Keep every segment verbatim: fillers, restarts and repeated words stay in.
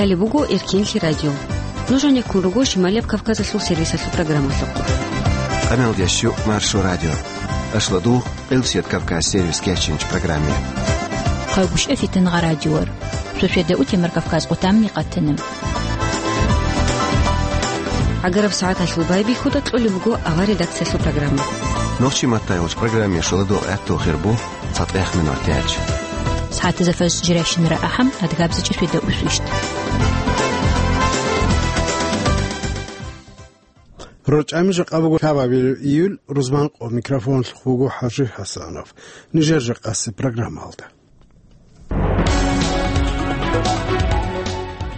Гьале буго Эркинлъи радио. Нуж гьанеккун руго Шималияб Кавказалъул сервисалъул программалъухъ. Къамел дящу Маршо радио. Ашладу Къилсият Кавказ сервис кечинч программе. Хъайгущ эфитан гъа радиор. Суседа утемар Кавказ къутамни къатана. Агараб сагӀаталъул байбихьуда кьолеб буго авар редакциялъул программа. Нохчи маттайгъуч программе шуладу гӀатту хирбу. ЦатӀехмин ватиач. СагӀатазда фаз жирайщинара ахӀам, адгабзичӀи светда усвищт. РорчӀами жакъа буго лъабабилеб июль, рузман къо микрофонлъухъ вуго ХӀажи ХӀасанов. Нижер жакъаси программалда.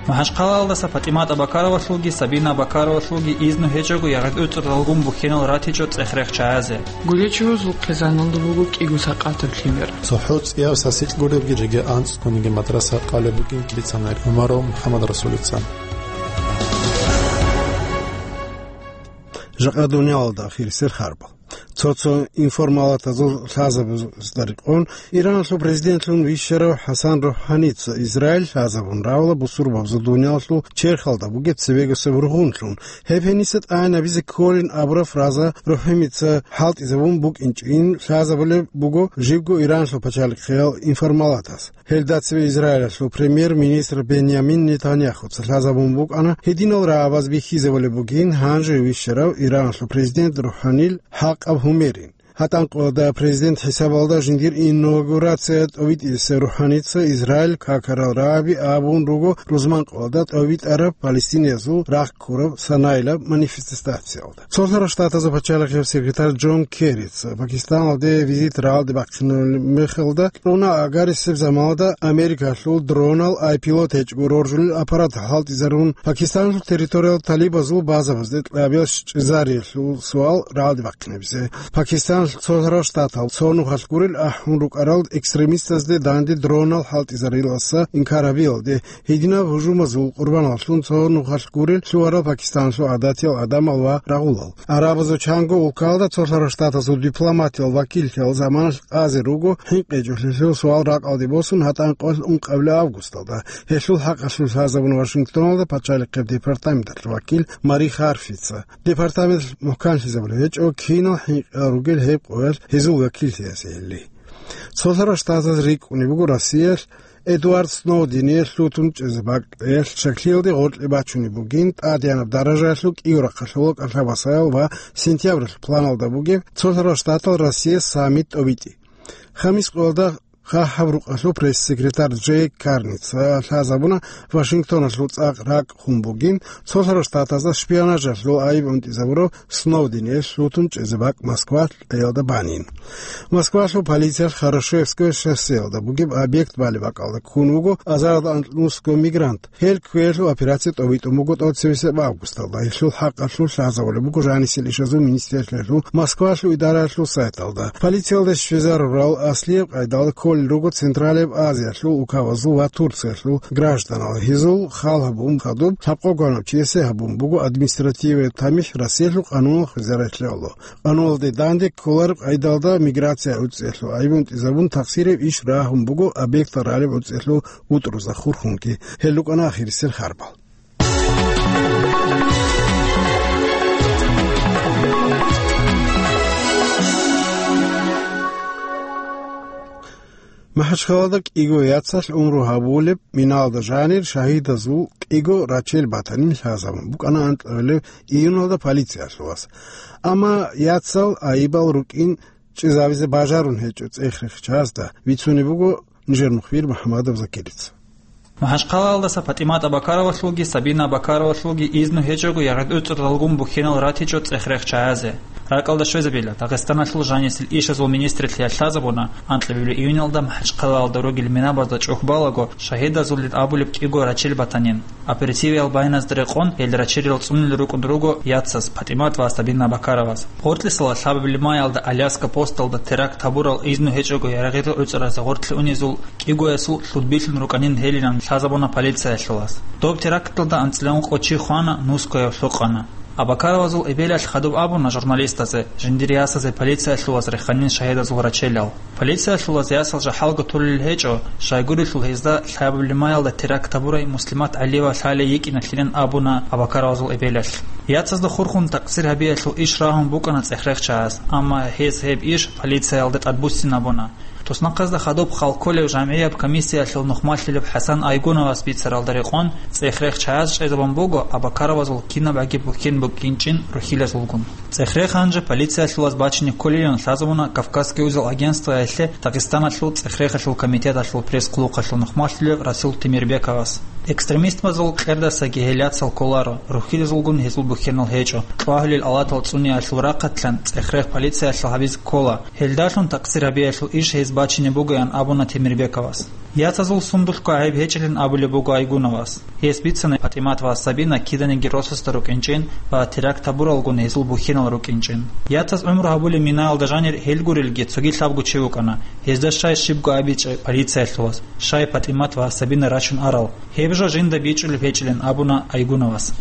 МахӀачхъалаялдаса ПатӀимат Абакаровалъулги Сабина Абакаровалъулги изну гьечӀого ягъид уцӀралгун бухьинал ратичӀо цӀех-рех чагӀазе. Гулечевазул хъизаналда буго кӀиго сакъатаб лъимер. ЦохӀо цӀияв сасикь гуребги жеги анцӀцӀгониги мадраса къалеб бугин милиционер ГӀумаров МухӀаммадрасулица. Жакъа дуниялалда ахирисел харбал. Цо-цо информалатазул лъазабазда рекъон, Ираналъул президентлъун вищарав ХӀасан РухӀаница Израиль лъазабун равала бусурбабазул дуниялалъул черхалда бугеб цебегасеб ругъунлъун. Гьеб гьениса тӀагӀинабизе кколин абураб фраза РухӀаница хӀалтӀизабун букӀинчӀин лъазабулеб буго жибго Ираналъул пачалихъиял информалатас. Гьелда цеве Израилалъул премьер-министр Беньямин Нетаньяхуца лъазабун букӀана, гьединал рагӀабаз бихьизабулеб бугин гьанже вищарав Ираналъул президент РухӀанил хӀакъаб гьумерин. ГьатӀан къоялда президент хӀисабалда жиндир инаугурация тӀовитӀизе РухӀаница Израиль какарал рагӀаби абун руго рузман къоялда тӀовитӀараб палестиниязул рахъ ккураб санайилаб манифестациялда. Цолъарал Штатазул пачалихъияб секретарь Джон Керрица Пакистаналде визит рагӀалде бахъинаб мехалда, кьуна агарисеб заманалда Америкалъул дронал, ай пилот гьечӀого роржулел аппарат хӀалтӀизарун, Пакистаналъул территориял талибазул базабазде кьабиял щвезариялъул суал рагӀалде бахъинабизе. Пакистаналъ Цолъарал Штатал цо нухалъ гурел ахӀун рукӀарал экстремистазде данде дронал хӀалтӀизарилалса инкар гьабиялде, гьединаб гьужумазул къурбаналлъун цо нухалъ гурел лъугьарал Пакистаналъул гӀадатиял гӀадамал ва рагъулал. Арабазул чанго улкалда Цолъарал Штатазул дипломатиял вакиллъиялъ заманалъ къазе руго хӀинкъичӀолъи лъул суал ракӀалде босун гьатӀан къоялъ ункъабилеб августалда. Гьелъул хӀакъалъулъ лъазабун Вашингтоналда пачалихъеб департаменталъул вакил Мари Харфица. Департамент мухӀканлъизабулеб гьечӀо кинал хӀинкъи ругел гьеб къоялъ гьезул вакиллъиязеили. Цолъарал Штатаз рикӀкӀунеб буго Россиялъ Эдвард Сноудение лъутун чӀезе бакӀиялъ щаклъиялде гъоркье бачунеб бугин тӀадегӀанаб даражаялъул кӀиго рахъалъулал кӀалъабасаял ва сентябралъул планалда бугеб Цолъарал Штатал Россия саммит тӀобитӀи. Хамис къоялда хъахӀаб рукъалъул пресс-секретарь Джейк Карница лъазабуна Вашингтоналъул цӀакъ ракӀ хун бугин, Цолъарал Штатазда шпионажалъул айиб унтӀизабурав Сноудение лъутун чӀезе бакӀ Москва кьеялда банин. Москвалъул полициялъ Хорошевское шоссеялда бугеб объект балеб бакӀалда ккун вуго азарилда анкьнусго мигрант. Гьел кквеялъул операция тӀобитӀун буго тӀоцевесеб августалда. Гьелъул хӀакъалъулъ лъазабулеб буго жанисел ишазул министерствоялъул Москвалъул идараялъул сайталда. Полициялда щвезарурал аслияб къайдалда кколел руго Централияб Азиялъул улкабазул ва Турциялъул гражданал. Гьезул хал гьабун хадуб лъабкъого гьанав чиясе гьабун буго административияб тамихӀ Россиялъул къануналъ хвезарайлъиялъул. Къануналде данде кколареб къайдалда миграция гӀуцӀиялъул айиб унтӀизабун тахсиреб иш рагьун буго объектал ралеб гӀуцӀиялъул вутӀрузда хурхунги. Гьел рукӀана ахирисел харбал. МахӀачхъалада кӀиго яцалъ унру гьабулеб миналда жанир шагьидазул кӀиго рачел батанин лъазабун букӀана анкьабилеб июналда полициялъулас. Амма яцал айибал рукӀин чӀезавизе бажарун гьечӀо цӀех-рех чагӀазда, бицунеб буго нижер мухбир МухӀаммадов Закирица. МахӀачхъалаялдаса ПатӀимат Абакаровалъулги Сабина Абакаровалъулги изну гьечӀого ягъид уцӀралгун бухьинал ратичӀо цӀех-рех чагӀазе. РакӀалда щвезабила, Дагъистаналъул жанисел ишазул министрлъиялъ лъазабуна, анкьабилеб июналда МахӀачхъалаялда ругел минабазда чӀухӀбалаго шагьидазулин абулеб кӀиго рачел батанин. Оперативиял байназда рекъон гьел рачерил цӀунил рукӀун руго яцаз, ПатӀимат ва Сабина Абакароваз. Гъоркьисала лъабабилеб майалда Аляска посталда теракт гьабурал изну гьечӀого ярагъира гӀуцӀаразе гъоркье унезул кӀигоясул лъудбилъун рукӀанин гьелилан лъазабуна полициялъулас. Доб теракталда анцӀила ункъо чи хвана, нускояв лъукъана. Абакаровазул эбелалъ хадуб абуна журналистазе, жиндир ясазе полициялъулаз реханин шагьидазул рачелал. Полициялъулаз ясал жахӀалго толел гьечӀо, щайгурелъул гьезда лъабабилеб маялда теракт гьабурай Муслимат ГӀалиева лъалей йикӀиналъилин абуна Абакаровазул эбелалъ. Яцазда хурхун такъсир гьабиялъул иш рагьун букӀана цӀехрехчагьаз, амма гьез гьеб иш полициялда тӀадбуссин абуна. Туснахъазда хадуб хал кколев жамгӀияб комиссиялъул нухмалъулеб ХӀасан Айгуновас бицаралда рекъон, цӀехрехчагьаз чӀезабун буго Абакаровазул кинабгӀаги бухьен букӀинчӀин рухьилазулгун. ЦӀехрех гьанже полициялъулаз бачине кколилан лъазабуна Кавказский узел агентствоялъе Дагъистаналъул цӀехрехалъул комитеталъул пресс-хъулухъалъул нухмалъулев Расул Темирбековас. Экстремистазул къердасаги гьел яцал кколаро, рухьилазулгун гьезул бухьенал гьечӀо, кьвагьулел алатал цӀуниялъул рахъалъан цӀехрех полициялъул гьабизе ккола, гьелдалъун такъсир гьабиялъул иш гьез бачине бугоян абуна Темирбековас. Яцазул сундулъго гӀайиб гьечӀилин абулеб буго Айгуновас. Гьес бицана ПатӀимат ва Сабина киданиги росасда рукӀинчӀин ва теракт гьабуралгун гьезул бухьенал рукӀинчӀин. Яцаз гӀумру гьабулеб минаялда жанир гьел гурелги цоги лъабго чи вукӀана, гьезда щай щибго абичӀеб полициялъулаз, щай ПатӀимат ва Сабина рачун арал. Гьеб жо жинда бичӀчӀулеб гьечӀилин абуна Айгуновас.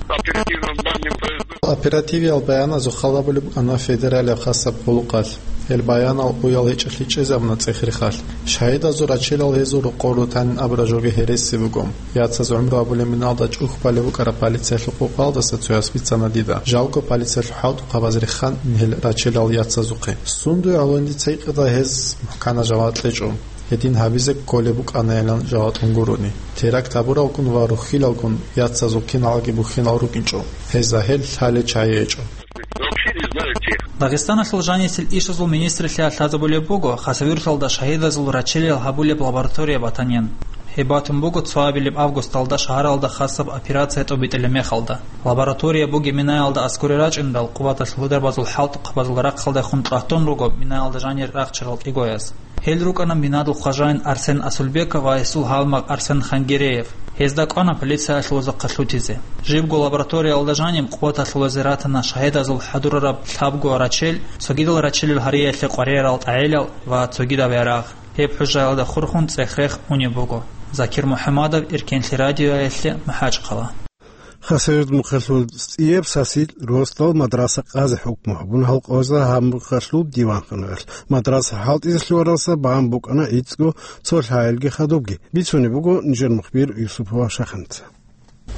Оперативиял баяназухъ хал гьабулеб букӀана федералияб хасаб хъулухъалъ. Гьел баянал уял гьечӀолъи чӀезабуна цӀехрехалъ. Шагьидазул рачелал гьезул рокъор рутанин абураб жоги гьереси буго. Яцаз гӀумру гьабулеб миналда чӀухь балеб букӀараб полициялъул къокъалдаса цояс бицана дида. Жалго полициялъул хӀалтӀухъабаз реханин гьел рачелал яцазухъе. Сундуе гӀоло дица гьикъида гьез мухӀкана жаваб кьечӀо. Гьедин гьабизе кколеб букӀанайилан жаваб кьун гурони. Теракт гьабуралгун ва рухьилалгун яцазул киналги бухьенал рукӀинчӀо. Гьезда гьел лъалел чагӀи гьечӀо. Дагъистаналъул жанисел ишазул министрлъиялъ лъазабулеб буго Хасавюрталда шагьидазул рачелил гьабулеб лаборатория батанин. Гьеб батун буго цоабилеб августалда шагьаралда хасаб операция тӀобитӀилеб мехалда. Лаборатория бугеб минаялда аскӀоре рачӀиндал, къуваталъул гьударбазул хӀалтӀухъабазул рахъалдехун тӀатун руго минаялда жанир рахчарал кӀигояз. Гьел рукӀана минадул хважаин Арсен Асулбеков ва гьесул гьалмагъ Арсен Хангереев. Гьезда кӀвана полициялъулазухъа лъутизе. Жибго лабораториялда жаниб къуваталъулазе ратана шагьидазул хӀадурараб лъабго рачел, цогидал рачелил гьариялъе къваригӀарал тӀагӀелал ва цогидаб ярагъ. Гьеб хӀужаялда хурхун цӀехрех унеб буго. Закир МухӀамадов, Эркенлъи радиоялъе, МахӀачхъала. Хасавюрт мухъалъул цӀияб сасил росдал мадраса къазе хӀукму гьабун гьалкъоязда гьаб мухъалъул диванханаялъ. Мадраса хӀалтӀизе лъугьаралдаса бан букӀана гӀицӀго цо лъагӀелги хадубги. Бицунеб буго нижер мухбир Юсупова Шаханица.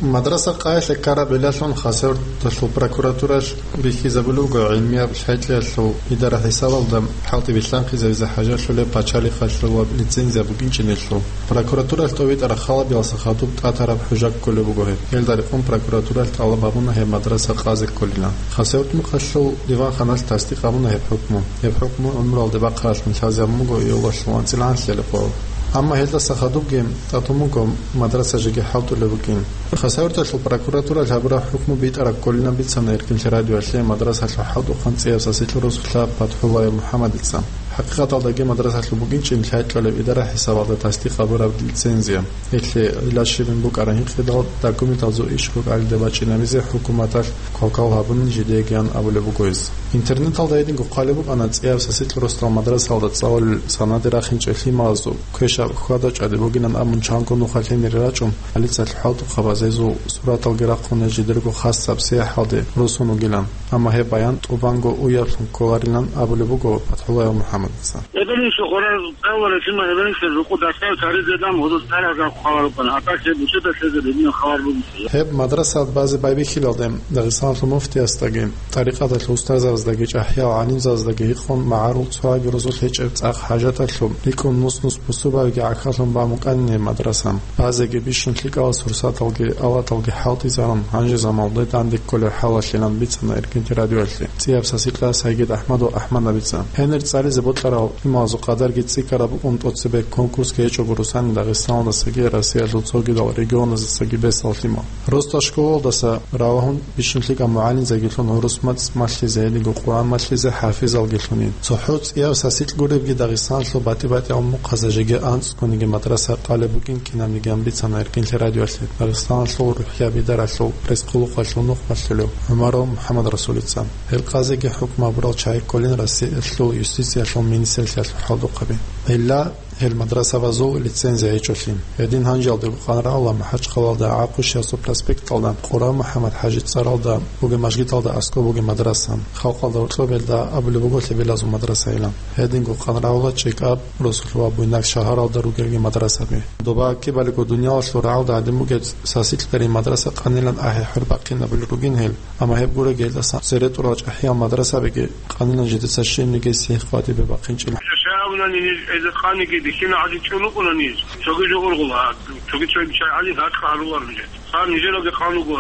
Мадраса къаялъе ккараб гӀиллалъун Хасавюрталъул прокуратуралъ бихьизабулеб буго гӀилмияб лъай-кьеялъул идара хӀисабалда хӀалтӀи билълъанхъизавизе хӀажалъулеб пачалихъалъулаб лицензия букӀинчӀинелъул. Прокуратуралъ тӀовитӀараб халабиялдаса хадуб тӀатараб хӀужа кколеб буго гьеб. Гьелда рекъон прокуратуралъ тӀалаб гьабуна гьеб мадраса къазе кколилан. Хасавюрт мухъалъул диванханалъ тасдикъ гьабуна гьеб хӀукму. Гьеб хӀукму гӀумруялде бахъаралъун лъазабун буго июлалъул анцӀила анлъиялда къо. Амма гьелдаса хадубги тӀатун буго мадраса жеги хӀалтӀулеб букӀин. Хасавюрталъул прокуратуралъ гьабураб хӀукму битӀараб кколилан бицана Эркенлъи радиоялъе мадрасалъул хӀалтӀухъан цӀияб сасилъ росулъа ПатхӀуллаев МухӀаммадица. ХӀакъикъаталдаги мадрасалъул букӀинчӀин лъай-кьолеб идара хӀисабалда тасдикъ гьабураб лицензия. Гьелъие гӀилла щибин букӀараб гьинкъидал документалзул иш букӀалида бачӀинабизе хӀукуматалъ квалквал гьабунин жидеегиян абулеб буго гьез. Интернеталда гьединго хъвалеб букӀана цӀияб сасилъ росдал мадрасалда цӀалулел санаде рахинчӀел лъималазул квешаб хьвада-чӀвади бугилан абун чанго нуха лъенире рачӀун, полициялъул хӀалтӀухъабаз гьезул сураталги рахъун гьез жидерго хасаб сияхӀалде росун вугилан. Амма гьеб баян тӀубанго уяблъун кколарилан абулеб буго ПатхӀуллаев МухӀаммадица. Эбелинчи гъорар цӀаларасима эбелинчи рукъу дасал таризедан гьудул тарагъа хабар букӀана. Атаке бучеда лъезе бедина хабар бугеси. Гьеб мадрасаялда базе байбихьилалде Дагъистаналъул муфтиясдаги, тӀарикъаталъул устарзабаздаги, чӀахӀиял гӀалимзабаздаги гьикъун магӀарул цоги рузулъ гьечӀеб цӀакъ хӀажаталъун, рикӀкӀун нус-нус бусурбабиги гӀахьаллъун бан букӀанин мадрасаялда. Базеги бищун лъикӀал сурсаталги, алаталги хӀалтӀизарун, гьанже заманалде данде кколеб хӀалалъилан бицана Эркенлъи радиоялъе цӀияб сасилъа Сайгид АхӀмад ва АхӀмадабица. Гьенир цӀализе бокьарал лъималазул къадарги цӀикӀкӀараб букӀун тӀоцебе конкурсги гьечӀого росани Дагъистаналдасаги Россиялъул цогидал регионаздасаги бесал лъимал. Росдал школалдаса ралагьун бищун лъикӀал мугӀалимзабигилъун гӀурус моцӀ малъизе, гьединго Къуръан малъизе хӀафизалгилъунин. ЦохӀо цӀияб сасилъ гуребги Дагъистаналъул батӀи-батӀиял мухъазда жеги анцӀгониги мадраса къалеб бугин кинабниги бицана Эркенлъи радиоялъе Дагъистаналъул рухӀияб идаралъул пресс-хъулухъалъул нухмалъулев ГӀумаров МухӀаммадрасулица. Гьел къазеги хӀукму гьабурал чагӀи кколин Россиялъул юстициялъул министрлъиялъул хӀалтӀухъаби. Гьелда Гьел мадрасабазул лицензия гьечӀолъи. Гьедин гьанжалдего къанрагӀула МахӀачхъалалда ГӀахъушиясул проспекталда Къура МухӀаммад-хӀажи цӀаралда бугеб мажгиталда аскӀоб бугеб мадраса. Халкъалда гьоркьоб гьелда абулеб буго Лъебелазул мадрасайилан. Гьединго къанрагӀула ЧӀикӀаб, Росулъ ва Буйнакск шагьаралда ругелги мадрасаби. Доба ккибалиго дуниялалъул рагӀалда гӀадин бугеб сасикьдарин мадраса къанилан ахӀи-хӀур бахъинабулел ругин гьел, амма гьеб гуреб гьелдасан цере тӀурал чӀахӀиял мадрасабиги къанилан жидеца щибниги сихӀ къватӀибе бахъинчӀила. Жо щай абунани ниж, эза къаниги дихьина гӀадин чӀун рукӀуна ниж. Цоги жо ургъула, цоги-цоги чай гӀадин гьаркьа гьарулар нижеца. Гьаб нижералги къан руго,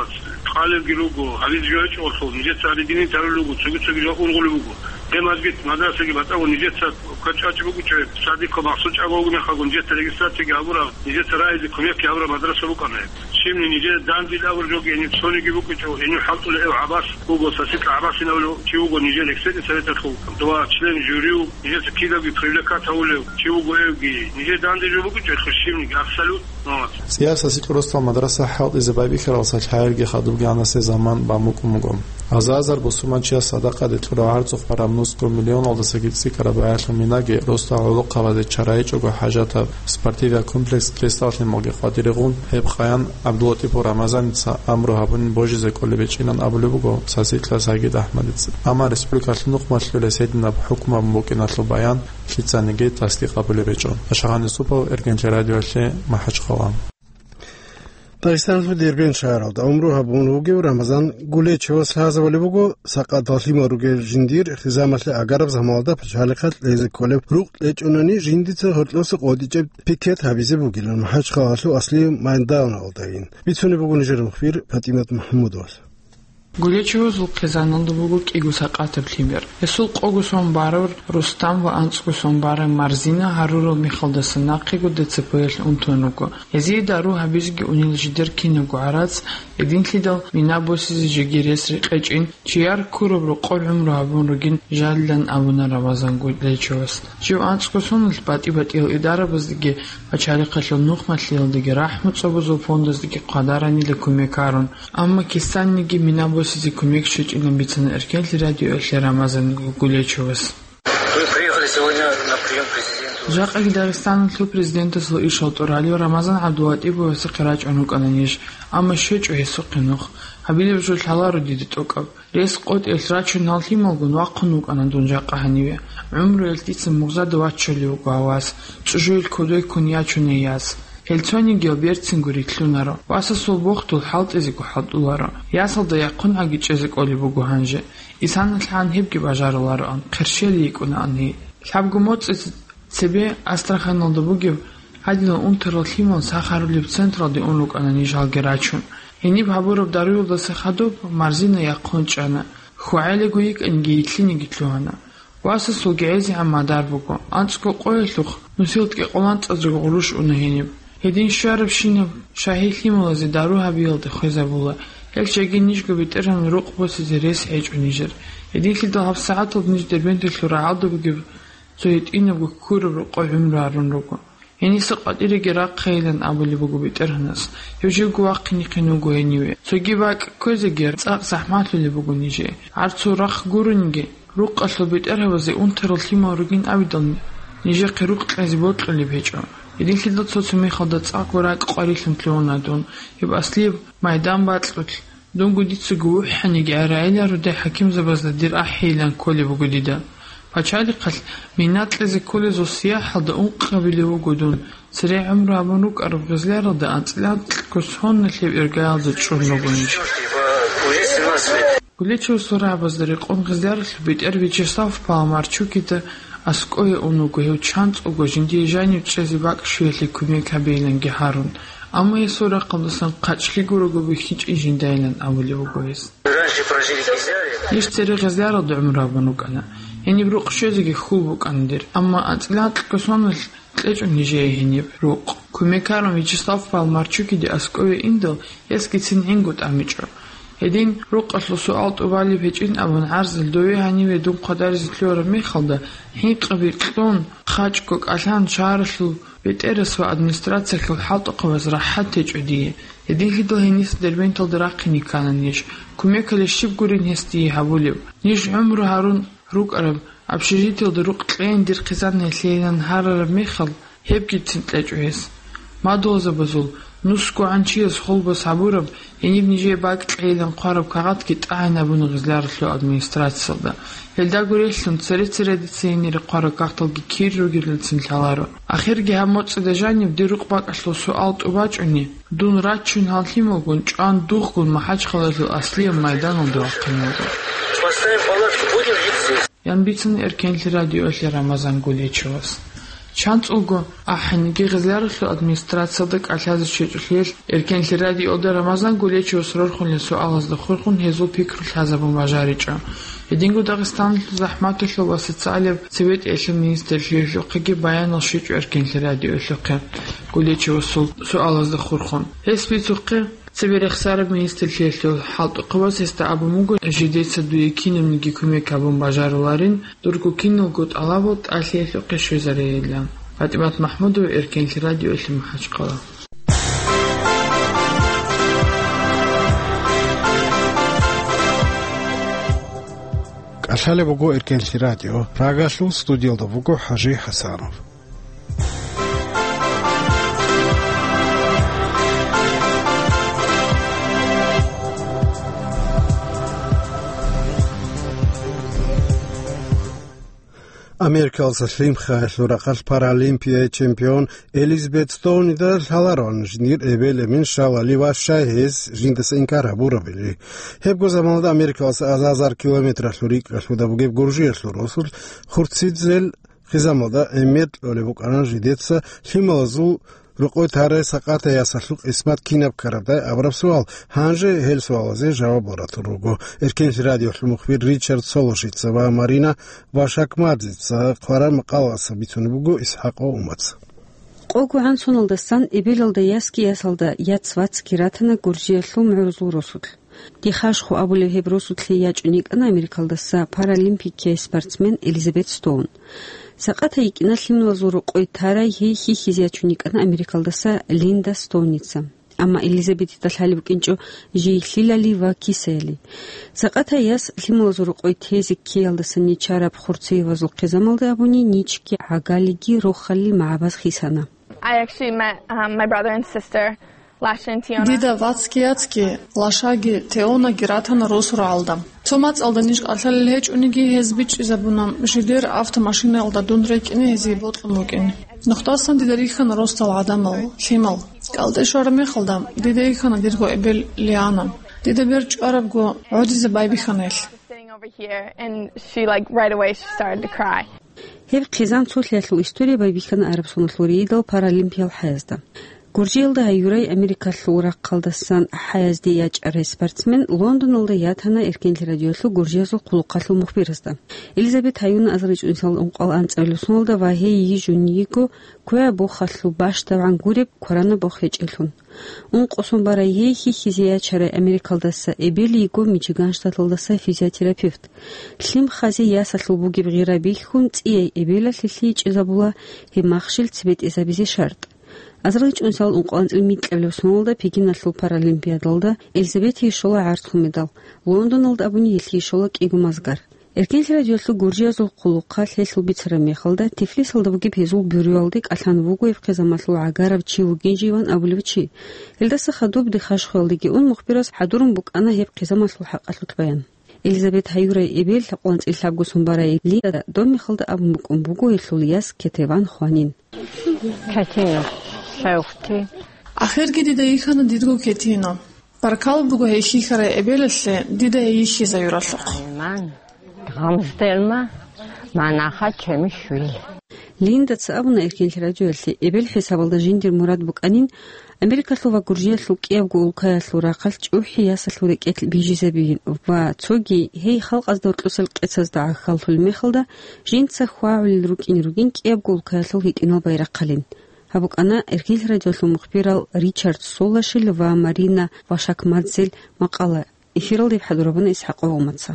кьалебги руго, гьабизе жо гьечӀолъул, нижеца гьадин динин тарулел руго, цоги-цоги жо ургъулеб буго. Гьеб мажгит, мадрасаги батӀаго нижеца квачӀвачӀ бугучӀо, садико махсус чӀаго вугеб мехалго нижеца регистрацияги гьабураб, нижеца рагьизе кумекги гьабураб мадраса букӀана гьеб. Щибни нижер дандил абур жоги гьениб цониги букӀичӀо, гьенив хӀалтӀулев гӀабас вуго, сасикьа гӀабасин абулев чи вуго нижер экспертный советалъул ва член жюрияв, нижеца кидавги привлекать гьавулев чи вуго эвги. Нижер данде жо букӀичӀо, щибниги абсолютно. ЦӀияр сасикьа росдал мадраса хӀалтӀизе байбихьаралдаса лъаялги хадубги гьанасе заман бан букӀун буго. Азар-азар бусурманчияс садакъаде кьураб гӀарцухъ бараб нусго миллионалдасаги цӀикӀкӀараб багьалъул минаги росдал гӀолохъабазе чара гьечӀого хӀажатаб спортивиял комплекс кьесдаллъималги къватӀире гъун, гьеб къаян ГӀабдуллатӀипов Рамазаница амру гьабунин божизе кӀолеб гьечӀилан абулеб буго сасикьа Сагид АхӀмадица. Амма республикалъул нухмалъулес гьединаб хӀукму гьабун букӀиналъул баян лъицаниги тасдикъ гьабулеб гьечӀо. Ашагъан Юсупов, Эргенлъи радиоялъе, МахӀачхъала. Дагъистаналъул Дербент шагьаралда гӀумру гьабун вугев Рамазан Гулечевас лъазабулеб буго, сакъатал лъимал ругел жиндир хизамалъе агараб заманалда пачалихъалъ лъезе кколеб рукъ кьечӀонани жиндица гьоркьоса къотӀичӀеб пикет гьабизе бугилан МахӀачхъалалъул Аслиев майданалдайин. Бицунеб буго нижер мухбир ПатӀимат МахӀмудовас. Гулечевазул хъизаналда буго кӀиго сакъатаб лъимер. Гьесул къого сон бараб Рустам ва анцӀго сон бараб Марзина гьарурал мехалдаса нахъего ДЦП-ялъ унтун руго. Гьезие дару гьабизеги унел жидер кинабго гӀарац, гьединлъидал мина босизе жеги рес рекъечӀин, чияр ккураб рокъоб гӀумру гьабун ругин жалилан абуна Рамазан Гулечевас. Жив анцӀго соналъ батӀи-батӀиял идарабаздеги, пачалихъалъул нухмалъиялдеги, рахӀму цӀобозул фондаздеги хъвадаранила кумек гьарун. Амма кисаниги мина босизе кумек щвечӀилан бицана Эркенлъи радиоялъе Рамазан Гулечевас. Мы приехали сегодня на прием президенту. Жакъаги Дагъистаналъул президентасул ишал тӀуралев Рамазан ГӀабдуллатӀиповасухъе рачӀун рукӀана ниж, амма щвечӀо гьесухъе нух. Гьабилеб жо лъаларо дида тӀокӀаб. Рес къотӀиялъ рачун гьал лъималгун вахъун вукӀана дун жакъа гьаниве. ГӀумруялъ дица мугъзада ваччулев вуго гьав вас, чӀужуялъ кодой ккун ячуней яс. Гьел цонигиял берцинго рилълъунаро. Васасул бохдул хӀалтӀизего хӀалтӀуларо. Ясалда яхъун гӀаги чӀезе кӀолеб буго гьанже. Исаналъ гьан гьебги бажарулароан, хъерщел йикӀунаан гьей. Лъабго моцӀица цебе Астраханалда бугеб гьадинал унтарал лъимал сахарулеб централде ун рукӀана ниж гьалги рачун. Гьениб гьабураб даруялдаса хадуб Марзина яхъун чӀана. ХьвагӀелего йикӀаниги йитлъиниги лъугьана. Васасулги гӀезегӀан мадар буго. АнцӀго къоялъухъ нусил кӀикъоялда анцӀазего гъурущ уна гьениб. Гьедин щварабщинаб шагьи лъималазе дару гьабиялде хвезабула. Гьел чагӀи нижго БетӀергьанасул рукъ босизе рес гьечӀо нижер. Гьединлъидал гьабсагӀаталда ниж Дербенталъул рагӀалда бугеб цо гьитӀинабго ккураб рокъоб гӀумру гьарун руго. Гьениса къватӀиреги рахъейилан абулеб буго БетӀергьанас. Гьев живго вахъинихъин вуго гьениве. Цоги бакӀ кквезеги цӀакъ захӀмалъулеб буго нижее. ГӀарцул рахъ гурониги, рукъалъул бетӀергьабазе унтарал лъимал ругин абидал, нижехъе рукъ кьезе бокьулеб гьечӀо. Гьединлъидал цо-цо мехалда цӀакъго ракӀ къварилъун лъугьуна дун, гьеб Аслияб майдан бакьулъ. Дунго дицаго вухӀаниги гӀерагӀелародехӀ хӀакимзабазда дир ахӀейилан кколеб буго дида. Пачалихъалъ мина кьезе кколезул сияхӀалда ункъабилев вуго дун, цере гӀумру гьабун рукӀараб Гъизляралда анцӀила анкьго соналъеб иргаялда чӀун руго ниж. Гулечевасул рагӀабазда рекъон Гъизляралъул бетӀер Вячеслав Паламарчукида аскӀове ун вуго гьев чанцӀулго жиндие жанив чӀезе бакӀ щвеялъе кумек гьабейиланги гьарун. Амма гьесул рахъалдасан хъачӀлъи гурого бихьичӀин жиндайилан абулеб буго гьес. Ниж цере Гъизляралда гӀумру гьабун рукӀана. Гьениб рукъ щвезеги хьул букӀана дир, амма анцӀила анкьго соналъ кьечӀо нижее гьениб рукъ. Кумек гьарун Вячеслав Паламарчукиде аскӀове индал, гьесгицин гӀинго тӀамичӀо. Гьедин, рукъалъул суал тӀубалеб гьечӀин абун гӀарзал дове гьаниве дун хъвадаризе лъугьараб мехалда, хӀинкъаби кьун, хъачӀго кӀалъан шагьаралъул бетӀерас ва администрациялъул хӀалтӀухъабаз рахӀат гьечӀо дие. Гьединлъидал гьениса Дербенталда рахъине ккана ниж. Кумекалъе щиб гурин гьес дие гьабулеб? Ниж гӀумру гьарун рукӀараб общежитиялда рукъ кьейин дир хъизан гьелъейилан гьарараб мехалъ, Гьебгицин кьечӀо гьес. Мадугьалзабазул, нусгогӀан чияс холбас гьабураб, гьениб нижее бакӀ кьейилан хъвараб кагъатги тӀагӀинабуна Гъизляралъул администрациялда. Гьелдаго релълъун, цере-цередеца гьенире хъвараб кагъталги кир ругелилцин лъаларо. Ахирги гьаб моцӀида жаниб дир рукъ бакӀалъул суал тӀубачӀони, дун рачун гьал лъималгун, чӀван дугъгун МахӀачхъалаялъул аслияб майданалда вахъине вуго. Поставим палатки, будем жить здесь. Ян бицун Эркенлъи радиоялъе Рамазан Гулечевас. ЧанцӀулго ахӀенниги Гъизляралъул администрациялда кӀалъазе щвечӀолъиялъ, Эркенлъи радиоялда Рамазан Гулечевас рорхунел суалазда хурхун гьезул пикру лъазабун бажаричӀо. Гьединго Дагъистаналъул захӀматалъул ва социалияб цебетӀиялъул министрлъиялъухъеги баянал щвечӀо Эркенлъи радиоялъухъе Гулечевасул суалазда хурхун. Гьес бицухъе, цебе рехсараб министрлъиялъул хӀалтӀухъабаз гьесда абун буго, жидеца дуе кинабниги кумек гьабун бажаруларин, дурго киналго тӀалабал тӀалъиялъухъе щвезарейилан. ПатӀимат МахӀмудова, Эркенлъи радиоялъе, МахӀачхъала. КӀалъалеб буго Эркенлъи радио. Прагалъул студиялда вуго ХӀажи ХӀасанов. Америкаласа лъим хъаялъул рахъалъ Паралимпияй чемпион Элизабет Стоунида лъалароан жиндир эбел-эмен щалали ва щай гьез жиндаса инкар гьабурабили. Гьебго заманалда Америкаласа азар-азар километралъул рикӀкӀалъуда бугеб Гуржиялъул росулъ Хурцидзел хъизамалда гӀемер кьолеб букӀана жидеца лъималазул рокъой тарай сакъатай ясалъул къисмат кинаб ккарабдай абураб суал. Гьанже гьел суалазе жавабал ратун руго. Эркенлъи радиолъул мухбир Ричард Солошица ва Марина Вашакмадзица хъвараб макъалаялъ бицунеб буго ИсхӀакъ Умац. КъолгогӀан соналдасан эбелалда ясги ясалда яц-вацги ратана Гуржиялъул мугӀрузул росулъ. Дихъашхо абулеб гьеб росулъе ячӀун йикӀана Америкалдаса паралимпикияй спортсмен Элизабет Стоун. Сакъатай йикӀина лъималазул рокъой тарай гьей хьихьизе ячун йикӀана Америкалдаса Линда Стоуница. Амма Элизабетида лъалеб букӀинчӀо жий лъилали ва кисаяли. Сакъатай яс лъималазул рокъой тезе ккеялдаса нечараб хурцеявазул хъизамалда абуни ничги гӀагалиги рохалил магӀабаз хисана. I actually met, um, my brother and sister last year in Tijuana. Дида вацги яцги, лашаги, Теонаги ратана росу рагӀалда. Цо мацӀалда ниж кӀалъалел гьечӀониги, гьез бичӀчӀизабуна, жидер автомашинаялда дун рекӀине гьезие бокьун букӀин. Нухдасан дида рихьана росдал гӀадамал, лъимал. КӀалтӀе щвараб мехалда, дида йихьана дирго эбел Лиана. Дида бер чӀварабго гӀодизе байбихьана гьелъ. Sitting over here, and she, like, right away, she started to cry. Гьеб хъизан цолъиялъул история байбихьана Арабсоналъул рейдал паралимпиял хӀаязда. Гуржиялда гьаюрай Америкалъул рахъалдасан хӀаязде ячӀарай спортсмен Лондоналда ятана Эркенлъи радиолъул гуржиязул хъулухъалъул мухбиразда. Элизабет гьаюна азаричӀунсал ункъал анцӀабилеб соналда ва гьей йижун йиго квегӀаб бохалъул бащдабгӀан гуреб кваранаб бох гьечӀелъун. Ункъо сон барай гьей хьихьизе ячарай Америкалдаса эбел йиго Мичиган штаталдаса физиотерапевт. Лъим хъазе ясалъул бугеб гъира бихьун, цӀияй эбелалъе лъийчӀезабула гьеб махщел цебетӀезабизе шартӀ. АзарилчӀунсал ункъоанцӀил микьабилеб соналда Пекиналъул паралимпиадалда Элизабетие щола гӀарцул медал, Лондоналда абуни гьелъие щола кӀиго мазгар. Эркенлъи радиолъул гуржиязул хъулухъалъ гьелъул бицараб мехалда, Тифлисалда бугеб гьезул бюроялде кӀалъан вуго гьеб хъизамалъул гӀагарав чи вугин живан абулев чи. Гьелдаса хадуб Дихъашхуялдеги ун мухбирас хӀадурун букӀана гьеб хъизамалъул хӀакъалъулъ баян. Элизабет гьаюрай эбел, ункъоанцӀил лъабго сон барай Линда доб мехалда абун букӀун буго гьелъул яс Кетеван хванин. Кетина, шевхъти. Ахирги дида йихьана дирго Кетина. Баркала буго гьей хьихьарай эбелалъе дида гьей йихьизаюралъухъ. Айман, гъамздерма, манаха чемишвили. Линдаца абуна Эркенлъи радиоялъе, эбел хӀисабалда жиндир мурад букӀанин, Америкалъул ва Гуржиялъул кӀиябго улкаялъул рахъалъ чӀухӀи ясалъул рекӀелъ бижизабиин ва цоги гьей халкъазда гьоркьосел къецазда гӀахьаллъулеб мехалда жинца хьвагӀулел рукӀине ругин кӀиябго улкаялъул гьитӀинал байрахъалин. Гьаб букӀана Эркенлъи радиолъул мухбирал Ричард Солашил ва Марина Вашакмадзел макъала. Эфиралда гьеб хӀадурабуна ИсхӀакъ Умаца.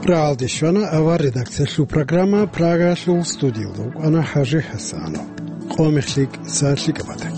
Рагьалде щвана авар редакциялъул программа, Прагалъул студиялда вукӀана ХӀажи ХӀасанов. Къо мехлъи, са лъикӀаб батаги.